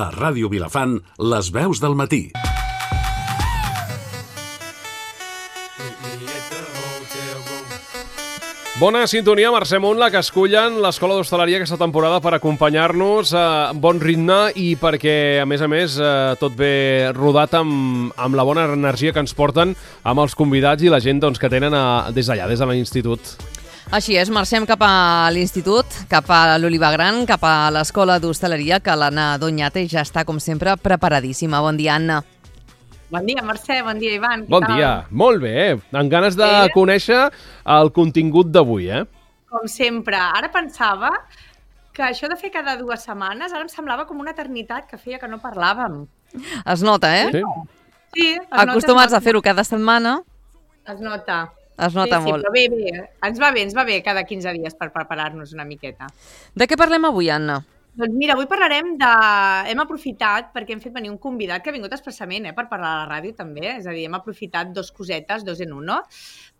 A Ràdio Vilafant, les veus del matí. Bona sintonia, Mercè Munt, la que escullen l'Escola d'Hostaleria aquesta temporada per acompanyar-nos a bon ritme i perquè, a més, tot ve rodat amb la bona energia que ens porten amb els convidats i la gent que tenen des d'allà, des de l'institut. Així és, marxem cap a l'institut, cap a l'Oliva Gran, cap a l'Escola d'Hostaleria, que l'Anna Doñate ja està, com sempre, preparadíssima. Bon dia, Anna. Bon dia, Mercè. Bon dia, Ivan. Bon dia. Molt bé. Amb ganes de conèixer el contingut d'avui, Com sempre. Ara pensava que això de fer cada 2 setmanes ara em semblava com una eternitat que feia que no parlàvem. Es nota, Sí. Sí, Acostumats a fer-ho cada setmana. Es nota. Es nota Sí, molt. però bé. Ens va bé cada 15 dies per preparar-nos una miqueta. De què parlem avui, Anna? Doncs mira, avui parlarem de... Hem aprofitat perquè hem fet venir un convidat que ha vingut expressament per parlar a la ràdio també, és a dir, hem aprofitat 2 cosetes, 2 en 1.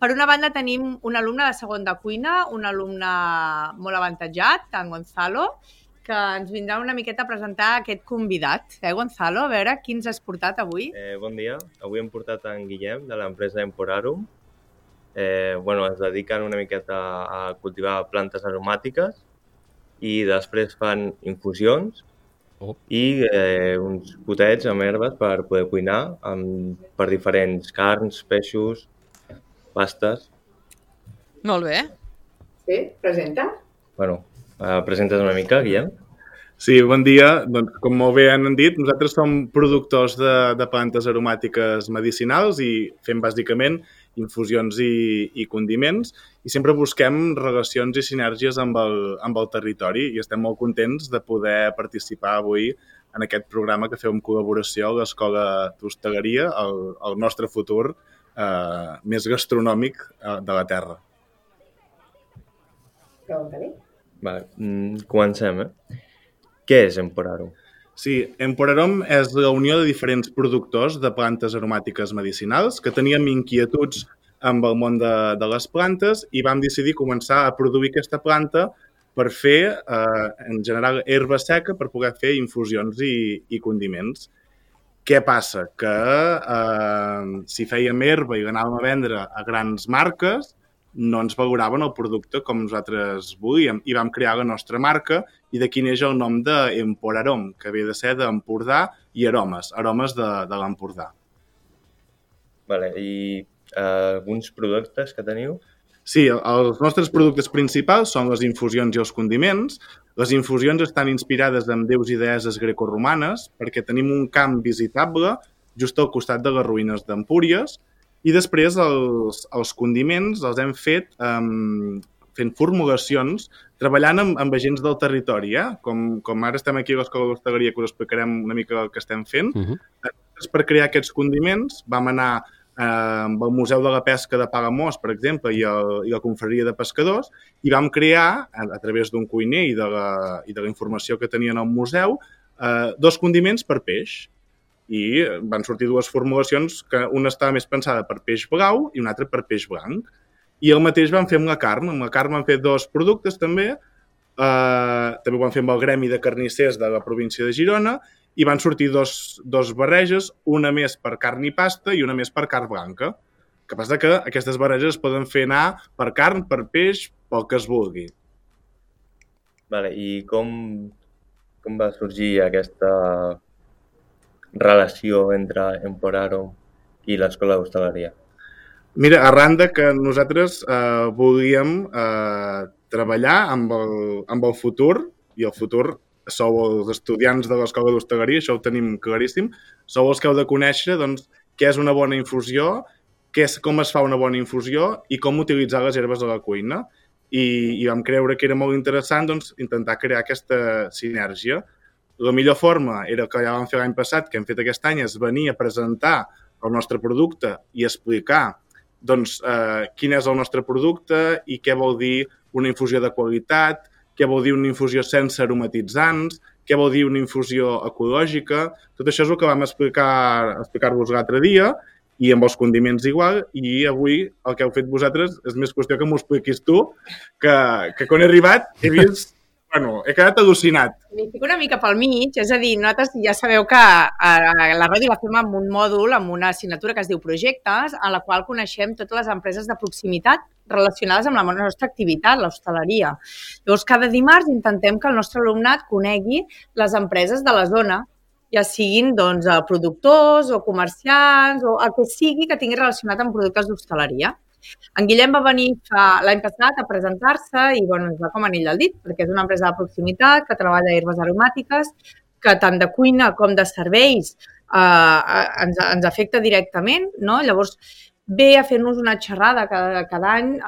Per una banda tenim un alumne de segon de cuina, un alumne molt avantatjat, en Gonzalo, que ens vindrà una miqueta a presentar aquest convidat. Gonzalo? A veure, qui ens has portat avui? Bon dia. Avui hem portat en Guillem, de l'empresa Emporarum. Es dediquen una miqueta a cultivar plantes aromàtiques i després fan infusions i uns potets amb herbes per poder cuinar per diferents carns, peixos, pastes. Molt bé. Sí, presenta. Presentes una mica, Guillem? Sí, bon dia. Doncs, com molt bé han dit, nosaltres som productors de plantes aromàtiques medicinals i fem bàsicament infusions i condiments i sempre busquem relacions i sinergies amb el territori i estem molt contents de poder participar avui en aquest programa que feu en col·laboració a l'Escola d'Hostaleria, el nostre futur més gastronòmic de la Terra. Pregunta-li. Comencem, Què és Emporarum? Sí, Emporarum és la unió de diferents productors de plantes aromàtiques medicinals que teníem inquietuds amb el món de les plantes i vam decidir començar a produir aquesta planta per fer, en general, herba seca per poder fer infusions i condiments. Què passa? Que si fèiem herba i l'anàvem a vendre a grans marques, no ens valoraven el producte com nosaltres volíem i vam crear la nostra marca i d'aquí neix el nom d'Emporarum, que ve de ser d'Empordà i aromes de l'Empordà. I alguns productes que teniu? Sí, els nostres productes principals són les infusions i els condiments. Les infusions estan inspirades en déus i deesses grecoromanes perquè tenim un camp visitable just al costat de les ruïnes d'Empúries i després els condiments els hem fet fent formulacions, treballant amb agents del territori. Com ara estem aquí a l'Escola d'Hostaleria, que us explicarem una mica el que estem fent. Per crear aquests condiments vam anar amb el Museu de la Pesca de Palamós, per exemple, i la Confraria de Pescadors, i vam crear, a través d'un cuiner i de la informació que tenien al museu, 2 condiments per peix. I van sortir 2 formulacions, que una estava més pensada per peix blau i una altra per peix blanc. I el mateix vam fer amb la carn. Amb la carn vam fer 2 productes també. També ho vam fer amb el Gremi de Carnissers de la província de Girona i van sortir 2 barreges, una més per carn i pasta i una més per carn blanca. El que passa que aquestes barreges es poden fer anar per carn, per peix, pel que es vulgui. I com va sorgir aquesta relació entre Emporarum i l'Escola d'Hostaleria? Mira, arran de que nosaltres volíem treballar amb el futur, i el futur sou els estudiants de l'Escola d'Hostaleria, això ho tenim claríssim, sou els que heu de conèixer què és una bona infusió, com es fa una bona infusió i com utilitzar les herbes a la cuina. I vam creure que era molt interessant intentar crear aquesta sinergia. La millor forma era que ja vam fer l'any passat, que hem fet aquest any, és venir a presentar el nostre producte i explicar quin és el nostre producte i què vol dir una infusió de qualitat, què vol dir una infusió sense aromatitzants, què vol dir una infusió ecològica. Tot això és el que vam explicar-vos l'altre dia i amb els condiments igual, i avui el que heu fet vosaltres és més qüestió que m'ho expliquis tu, que quan he arribat he vist Bueno, he quedat al·lucinat. M'hi fico una mica pel mig, és a dir, nosaltres ja sabeu que la ràdio la fem amb un mòdul, amb una assignatura que es diu Projectes, a la qual coneixem totes les empreses de proximitat relacionades amb la nostra activitat, l'hostaleria. Llavors, cada dimarts intentem que el nostre alumnat conegui les empreses de la zona, ja siguin doncs, productors o comerciants o el que sigui que tingui relacionat amb productes d'hostaleria. En Guillem va venir l'any passat a presentar-se i ens va com anell al dit, perquè és una empresa de proximitat que treballa herbes aromàtiques, que tant de cuina com de serveis ens afecta directament, no? Llavors ve a fer-nos una xerrada cada any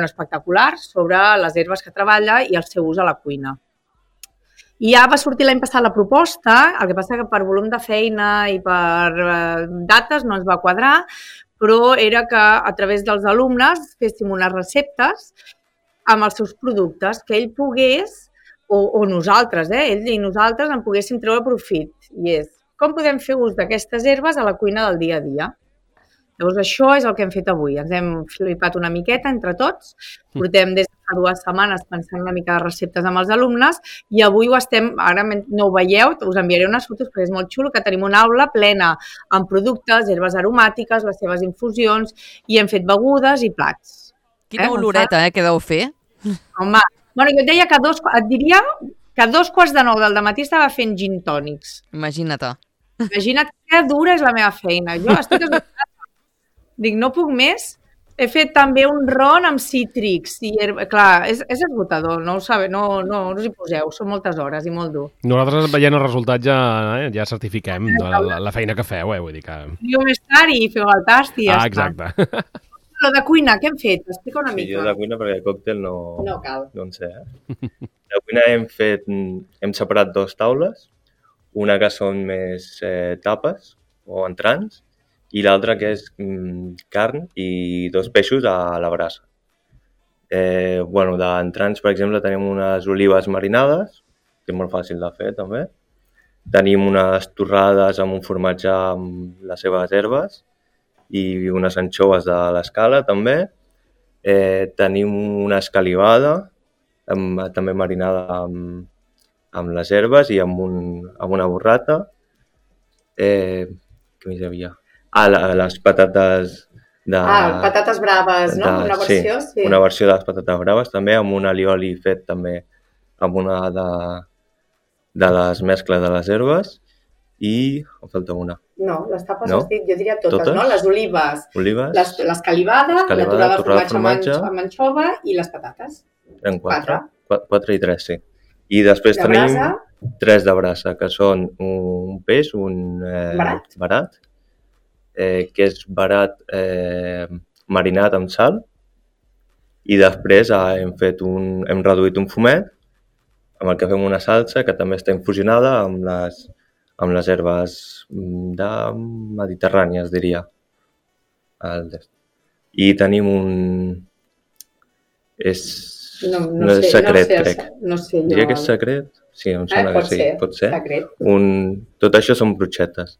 espectacular sobre les herbes que treballa i el seu ús a la cuina. I ja va sortir l'any passat la proposta, el que passa que per volum de feina i per dates no ens va quadrar, però era que a través dels alumnes féssim unes receptes amb els seus productes, que ell pogués, o nosaltres, ell i nosaltres en poguéssim treure profit. I és, com podem fer ús d'aquestes herbes a la cuina del dia a dia? Llavors, això és el que hem fet avui. Ens hem flipat una miqueta entre tots. Portem des de fa 2 setmanes pensant una mica de receptes amb els alumnes i avui ho estem, ara no ho veieu, us enviaré unes fotos perquè és molt xulo, que tenim una aula plena amb productes, herbes aromàtiques, les seves infusions i hem fet begudes i plats. Quina oloreta, que deu fer. Home, jo et deia que et diria que a 8:45 del matí estava fent gin tònics. Imagina't. Imagina't que dura és la meva feina. Jo estic esgotada. Dic, no puc més. He fet també un ron amb cítrics. I, clar, és esgotador, no ho sabeu, no us hi poseu, són moltes hores i molt dur. Nosaltres veient el resultat ja certifiquem la feina que feu, vull dir que... Jo més tard i feu el tast i ja està. Exacte. Lo de cuina, què hem fet? Explica una mica. Jo de cuina perquè el còctel no cal. No en sé, De cuina hem separat 2 taules, una que són més tapes o entrants, i l'altra que és carn i 2 peixos a la brasa. D'entrants, per exemple, tenim unes olives marinades, que és molt fàcil de fer també. Tenim unes torrades amb un formatge amb les seves herbes i unes anxoves de l'escala també. Tenim una escalivada, també marinada amb les herbes i amb una burrata. Què més hi havia? Les patates patates braves, no? Una versió, sí. Una versió de les patates braves, també amb un alioli fet també amb una de les mescles de les herbes i... em falta una. No, les tapes has dit, jo diria totes, no? Les olives, l'escalivada, la torrada de formatge amb anxova i les patates. Eren 4 i 3, sí. I després tenim 3 de brasa, que són un peix, un barat, que és barat marinat amb sal, i després hem reduït un fumet amb el que fem una salsa que també està infusionada amb les herbes mediterrànies, diria. I tenim no és secret, crec. No sé, jo... Diria que és secret? Sí, em sembla que sí. Pot ser. Tot això són brutxetes.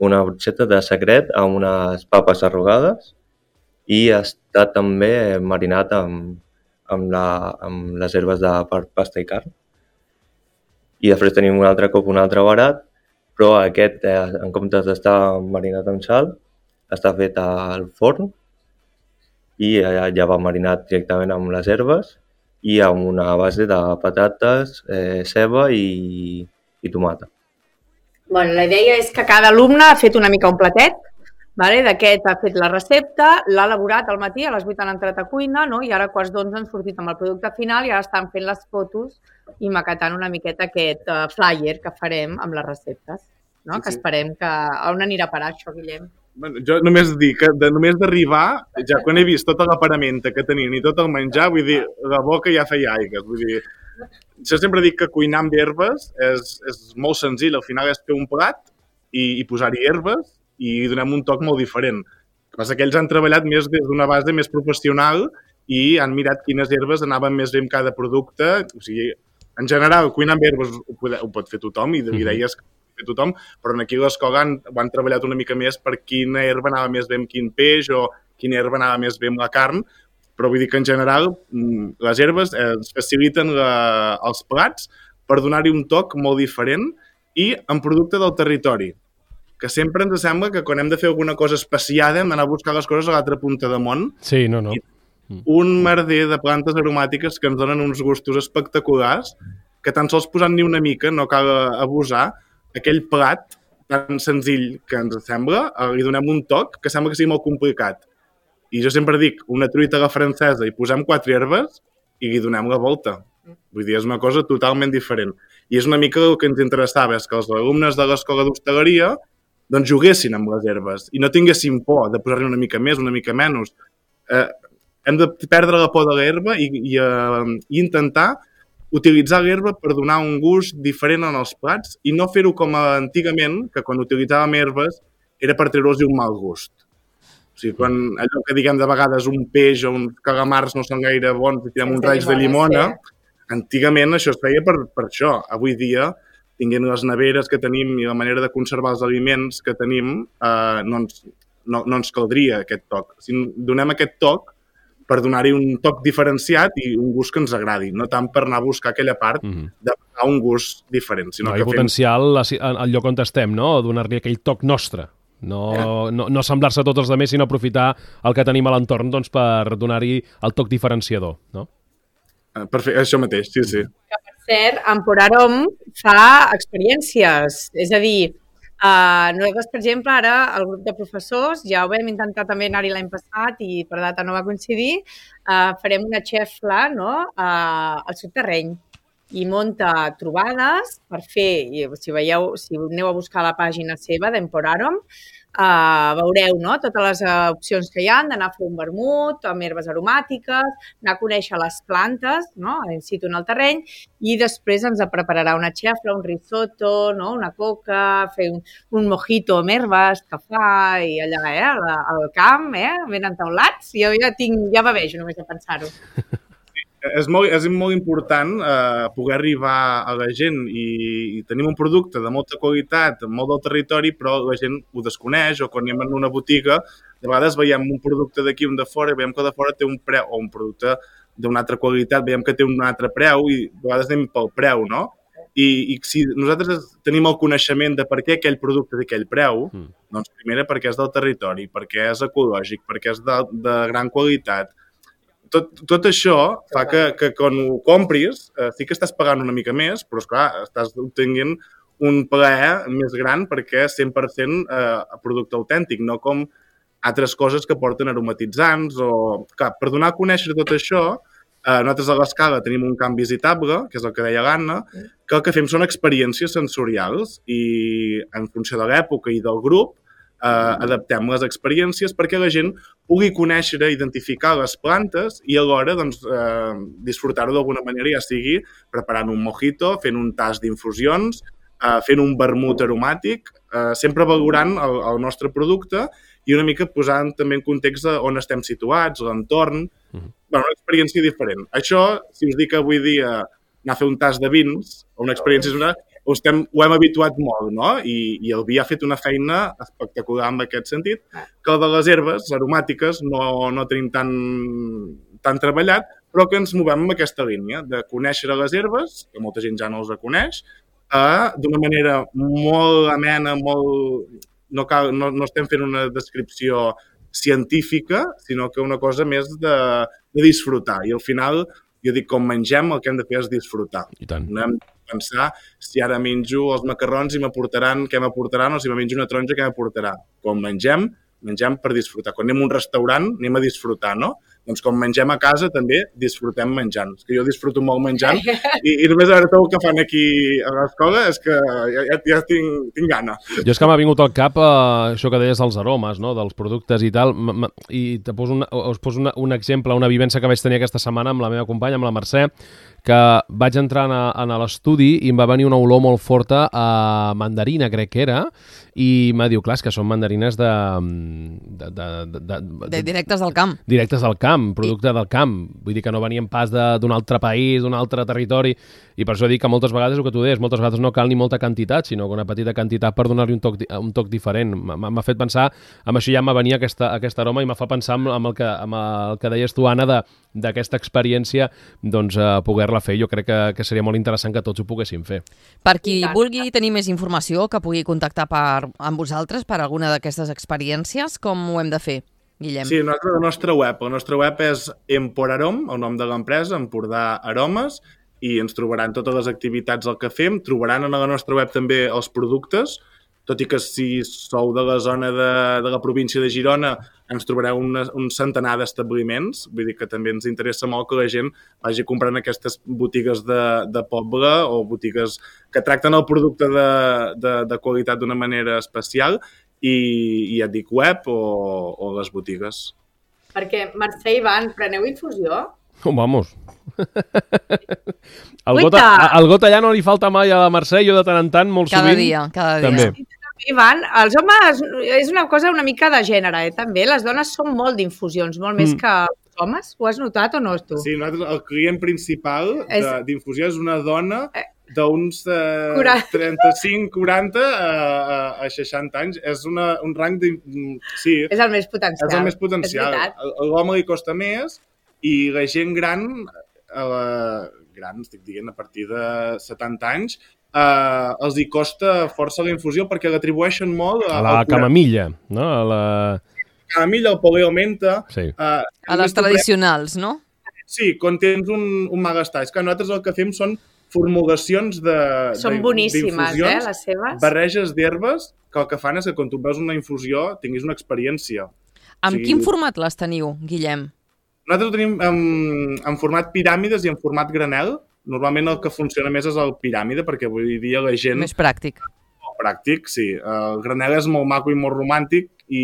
Una brutxeta de secret amb unes papes arrugades i està també marinat amb les herbes de pasta i carn. I després tenim un altre barat, però aquest, en comptes d'estar marinat amb sal, està fet al forn i ja va marinat directament amb les herbes i amb una base de patates, ceba i tomata. La idea és que cada alumne ha fet una mica un platet, d'aquest ha fet la recepta, l'ha elaborat al matí, a les 8 han entrat a cuina, i ara a 11:15 han sortit amb el producte final i ara estan fent les fotos i maquetant una miqueta aquest flyer que farem amb les receptes, que esperem que... On anirà a parar això, Guillem? Jo només dic que només d'arribar, ja quan he vist tota la paramenta que tenien i tot el menjar, vull dir, la boca ja feia aigues, vull dir... Jo sempre dic que cuinar amb herbes és molt senzill, al final és fer un plat i posar-hi herbes i donem un toc molt diferent. El que passa que ells han treballat més des d'una base més professional i han mirat quines herbes anaven més bé amb cada producte. O sigui, en general, cuinar amb herbes ho pot fer tothom i deies que ho pot fer tothom, però aquí a l'escola ho han treballat una mica més per quina herba anava més bé amb quin peix o quina herba anava més bé amb la carn, però vull dir que en general les herbes ens faciliten els plats per donar-hi un toc molt diferent i en producte del territori, que sempre ens sembla que quan hem de fer alguna cosa especiada hem d'anar a buscar les coses a l'altra punta de món. Sí, no. Un merder de plantes aromàtiques que ens donen uns gustos espectaculars, que tan sols posant-n'hi una mica, no cal abusar, aquell plat tan senzill que ens sembla, li donem un toc que sembla que sigui molt complicat. I jo sempre dic, una truita a la francesa i posem 4 herbes i li donem la volta. Vull dir, és una cosa totalment diferent. I és una mica el que ens interessava, és que els alumnes de l'escola d'hostaleria doncs juguessin amb les herbes i no tinguessin por de posar-hi una mica més, una mica menys. Hem de perdre la por de l'herba i intentar utilitzar l'herba per donar un gust diferent en els plats i no fer-ho com antigament, que quan utilitzàvem herbes era per treure-los un mal gust. O sigui, quan allò que diguem de vegades un peix o uns calamars no són gaire bons i tirem uns raig de llimona, antigament això es feia per això. Avui dia, tinguent les neveres que tenim i la manera de conservar els aliments que tenim, no ens caldria aquest toc. Si donem aquest toc per donar-hi un toc diferenciat i un gust que ens agradi, no tant per anar a buscar aquella part de donar un gust diferent. Sinó que potencial al lloc on estem, no? Donar-li aquell toc nostre. No semblar-se a tots els altres, sinó aprofitar el que tenim a l'entorn doncs, per donar-hi el toc diferenciador, no? Perfecte, això mateix, sí. Que, per cert, Emporarom fa experiències, és a dir, nosaltres, per exemple, ara el grup de professors, ja ho vam intentar també anar-hi l'any passat i per data no va coincidir, farem una xefla, no?, al subterreny i munta trobades per fer, i si aneu a buscar la pàgina seva d'Emporarom, veureu, no?, totes les opcions que hi ha, d'anar a fer un vermut amb herbes aromàtiques, anar a conèixer les plantes, no?, in situ en el terreny, i després ens prepararà una xefla, un risotto, no?, una coca, fer un mojito amb herbes que fa, i allà, al camp, ben entaulats, jo ja bavejo només de pensar-ho. És molt important poder arribar a la gent i tenim un producte de molta qualitat, molt del territori, però la gent ho desconeix, o quan anem en una botiga, de vegades veiem un producte d'aquí, un de fora, i veiem que de fora té un preu, o un producte d'una altra qualitat, veiem que té un altre preu, i de vegades anem pel preu, no? I si nosaltres tenim el coneixement de per què aquell producte té aquell preu, doncs primera perquè és del territori, perquè és ecològic, perquè és de gran qualitat. Tot això fa que quan ho compris sí que estàs pagant una mica més, però esclar, estàs obtenint un plaer més gran perquè és 100% producte autèntic, no com altres coses que porten aromatitzants. Clar, per donar a conèixer tot això, nosaltres a l'Escala tenim un camp visitable, que és el que deia l'Anna, que el que fem són experiències sensorials i en funció de l'època i del grup adaptem les experiències perquè la gent pugui conèixer, identificar les plantes i alhora doncs, disfrutar-ho d'alguna manera, ja sigui preparant un mojito, fent un tast d'infusions, fent un vermut aromàtic, sempre valorant el nostre producte i una mica posant també en context on estem situats, l'entorn, una experiència diferent. Això, si us dic avui dia anar a fer un tast de vins, o una experiència ho hem habituat molt, no? I el vi ha fet una feina espectacular en aquest sentit, que el de les herbes aromàtiques no tenim tan treballat, però que ens movem en aquesta línia de conèixer les herbes, que molta gent ja no les coneix, d'una manera molt amena, no estem fent una descripció científica, sinó que una cosa més de disfrutar. I al final, jo dic, com mengem, el que hem de fer és disfrutar. I tant. No hem de pensar si ara menjo els macarrons i m'aportaran, què m'aportaran, o si me menjo una taronja, què m'aportarà. Quan mengem per disfrutar. Quan anem a un restaurant, anem a disfrutar, no? Doncs quan mengem a casa també disfrutem menjant. És que jo disfruto molt menjant i només a veure tot el que fan aquí a l'escola és que ja tinc gana. Jo és que m'ha vingut al cap això que deies dels aromes, no? Dels productes i tal, i us poso un exemple, una vivència que vaig tenir aquesta setmana amb la meva companya, amb la Mercè, que vaig entrar a l'estudi i em va venir una olor molt forta a mandarina, crec que era, i m'ha dit, clar, és que són mandarines de directes del camp. Directes del camp. camp, producte del camp. Vull dir que no venien pas d'un altre país, d'un altre territori, i per això dic que moltes vegades, el que tu deies, moltes vegades no cal ni molta quantitat, sinó que una petita quantitat per donar-li un toc diferent. M'ha fet pensar, amb això ja m'ha venia aquesta aroma i m'ha fa pensar amb el que deies tu, Anna, d'aquesta experiència, doncs poder-la fer. Jo crec que seria molt interessant que tots ho poguéssim fer. Per qui vulgui tenir més informació, que pugui contactar amb vosaltres per alguna d'aquestes experiències, com ho hem de fer, Guillem? Sí, la nostra web és Emporarom, el nom de l'empresa, Empordà Aromes, i ens trobaran totes les activitats del que fem. Trobaran a la nostra web també els productes, tot i que si sou de la zona de la província de Girona ens trobareu un centenar d'establiments, vull dir que també ens interessa molt que la gent vagi comprant aquestes botigues de poble o botigues que tracten el producte de qualitat d'una manera especial i ja et dic web o les botigues. Perquè, Mercè i Ivan, preneu infusió? Vamos. El got allà no li falta mai a la Mercè, jo de tant en tant, molt sovint. Cada dia. També. Ivan, els homes, és una cosa una mica de gènere, també. Les dones són molt d'infusions, molt més que els homes. Ho has notat o no, tu? Sí, nosaltres, el client principal d'infusió és una dona d'uns 35-40 a 60 anys. És un rang de... Sí, és el més potencial. És el més potencial. A l'home li costa més i la gent gran, estic dient, a partir de 70 anys, els hi costa força la infusió perquè l'atribueixen molt a la camamilla, no? A la camamilla, el poleo menta... Sí. A les tradicionals, no? Sí, quan tens un malestar. És que nosaltres el que fem són formulacions d'infusions. Són boníssimes, les seves. Barreges d'herbes que el que fan és que quan tu veus una infusió tinguis una experiència. Amb quin format les teniu, Guillem? Nosaltres ho tenim en format piràmides i en format granel. Normalment el que funciona més és el piràmide, perquè avui dia la gent... Més pràctic. Pràctic, sí. El granel és molt maco i molt romàntic i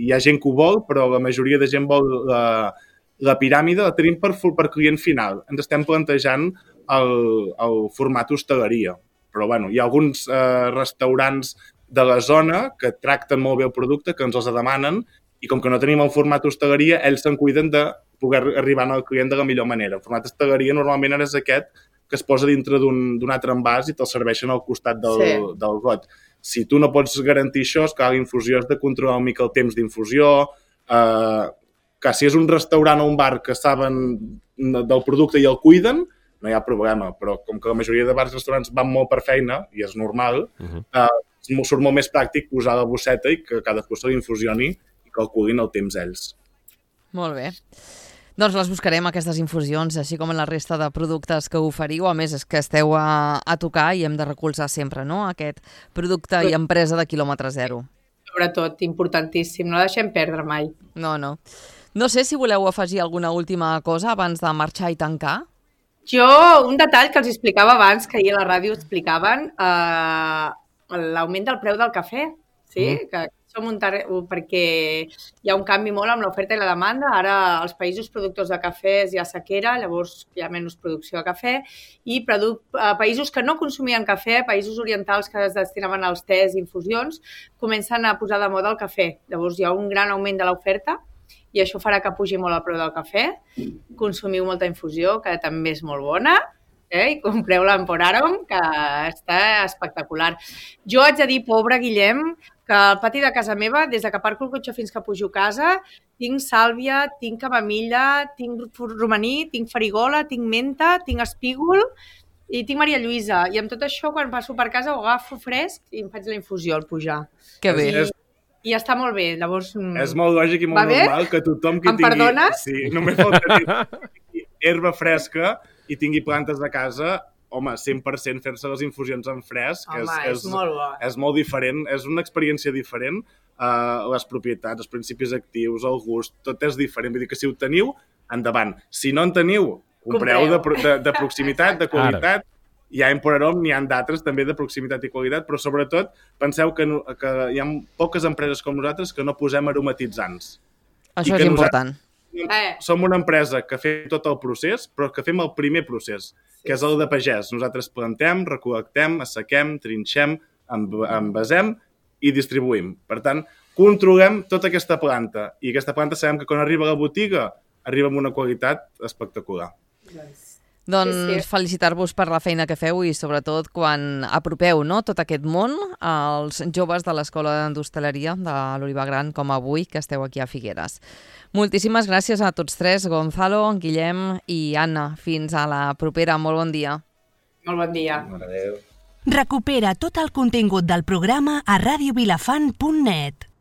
hi ha gent que ho vol, però la majoria de gent vol la piràmide, la tenim per client final. Ens estem plantejant el format hostaleria. Però bueno, hi ha alguns restaurants de la zona que tracten molt bé el producte, que ens els demanen, i com que no tenim el format hostaleria, ells se'n cuiden de poder arribar al client de la millor manera. El format hostaleria normalment és aquest que es posa dintre d'un altre envàs i te'l serveixen al costat del got. Si tu no pots garantir això, és que l'infusió has de controlar una mica el temps d'infusió, que si és un restaurant o un bar que saben del producte i el cuiden, no hi ha problema, però com que la majoria de bars i restaurants van molt per feina, i és normal, surt molt més pràctic posar la bosseta i que cadascú se l'infusioni i calculin el temps ells. Molt bé. Doncs les buscarem, aquestes infusions, així com en la resta de productes que oferiu. A més, és que esteu a tocar i hem de recolzar sempre, no?, aquest producte i empresa de quilòmetre zero. Sobretot, importantíssim. No deixem perdre mai. No. No sé si voleu afegir alguna última cosa abans de marxar i tancar. Jo, un detall que els explicava abans, que ahir a la ràdio explicaven, l'augment del preu del cafè, sí? Que perquè hi ha un canvi molt amb l'oferta i la demanda. Ara als països productors de cafès hi ha sequera, llavors hi ha menys producció de cafè, i països que no consumien cafè, països orientals que es destinaven als tés i infusions, comencen a posar de moda el cafè. Llavors hi ha un gran augment de l'oferta i això farà que pugi molt el preu del cafè. Consumiu molta infusió, que també és molt bona, i compreu-la en Emporarom, que està espectacular. Jo haig de dir, pobre Guillem, que al pati de casa meva, des que aparco el cotxe fins que pujo a casa, tinc sàlvia, tinc camamilla, tinc romaní, tinc farigola, tinc menta, tinc espígol i tinc Maria Lluïsa. I amb tot això, quan passo per casa, ho agafo fresc i em faig la infusió al pujar. Que bé. I està molt bé, llavors... És molt lògic i molt normal que tothom que tingui... Em perdones? Sí, només falta tenir herba fresca i tingui plantes a casa, home, 100% fer-se les infusions en fresc. Home, és molt bo. És molt diferent, és una experiència diferent. Les propietats, els principis actius, el gust, tot és diferent. Vull dir que si ho teniu, endavant. Si no en teniu, compreu de proximitat, de qualitat. Hi ha Emporarom, n'hi ha d'altres també de proximitat i qualitat, però sobretot penseu que hi ha poques empreses com nosaltres que no posem aromatitzants. Això és important. Som una empresa que fem tot el procés, però que fem el primer procés, que és el de pagès. Nosaltres plantem, recol·lectem, assequem, trinxem, envasem i distribuïm. Per tant, controlem tota aquesta planta. I aquesta planta sabem que quan arriba a la botiga arriba amb una qualitat espectacular. Doncs felicitar-vos per la feina que feu i sobretot quan apropeu tot aquest món als joves de l'Escola d'Hostaleria de l'Olivar Gran, com avui, que esteu aquí a Figueres. Moltíssimes gràcies a tots tres, Gonzalo, Guillem i Anna. Fins a la propera. Molt bon dia. Molt bon dia. Adéu. Recupera tot el contingut del programa a radiovilafant.net.